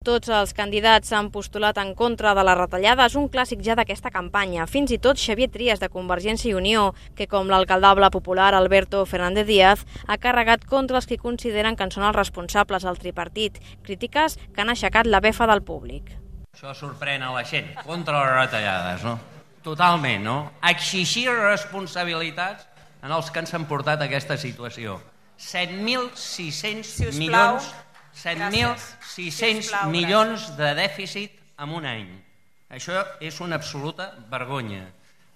Tots els candidats s'han postulat en contra de la retallada, és un clàssic ja d'aquesta campanya. Fins i tot Xavier Trias, de Convergència i Unió, que com l'alcaldable popular Alberto Fernández Díaz, ha carregat contra els que consideren que en són els responsables del tripartit, crítiques que han aixecat la befa del públic. Això sorprèn a la gent, contra les retallades, no? Totalment, no? Exigir responsabilitats en els que ens han portat a aquesta situació. 7.600 milions... 7.600 milions de dèficit en un any. Això és una absoluta vergonya.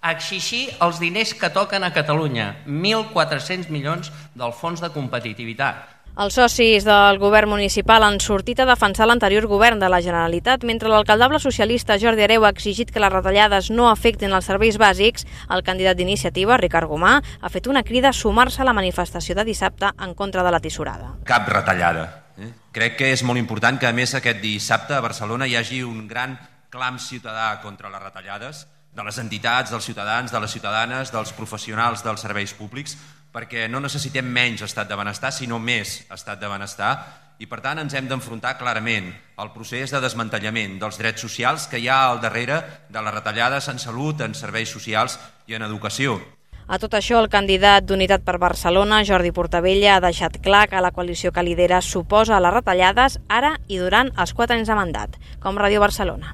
Exigir els diners que toquen a Catalunya, 1.400 milions del Fons de Competitivitat. Els socis del govern municipal han sortit a defensar l'anterior govern de la Generalitat. Mentre l'alcaldable socialista Jordi Hereu ha exigit que les retallades no afectin els serveis bàsics, el candidat d'Iniciativa, Ricard Gomà, ha fet una crida a sumar-se a la manifestació de dissabte en contra de la tisorada. Cap retallada. Crec que és molt important que, a més, aquest dissabte a Barcelona hi hagi un gran clam ciutadà contra les retallades de les entitats, dels ciutadans, de les ciutadanes, dels professionals dels serveis públics, perquè no necessitem menys estat de benestar, sinó més estat de benestar, i per tant ens hem d'enfrontar clarament al procés de desmantellament dels drets socials que hi ha al darrere de les retallades en salut, en serveis socials i en educació. A tot això, el candidat d'Unitat per Barcelona, Jordi Portabella, ha deixat clar que la coalició que lidera s'oposa a les retallades ara i durant els 4 anys de mandat, com Ràdio Barcelona.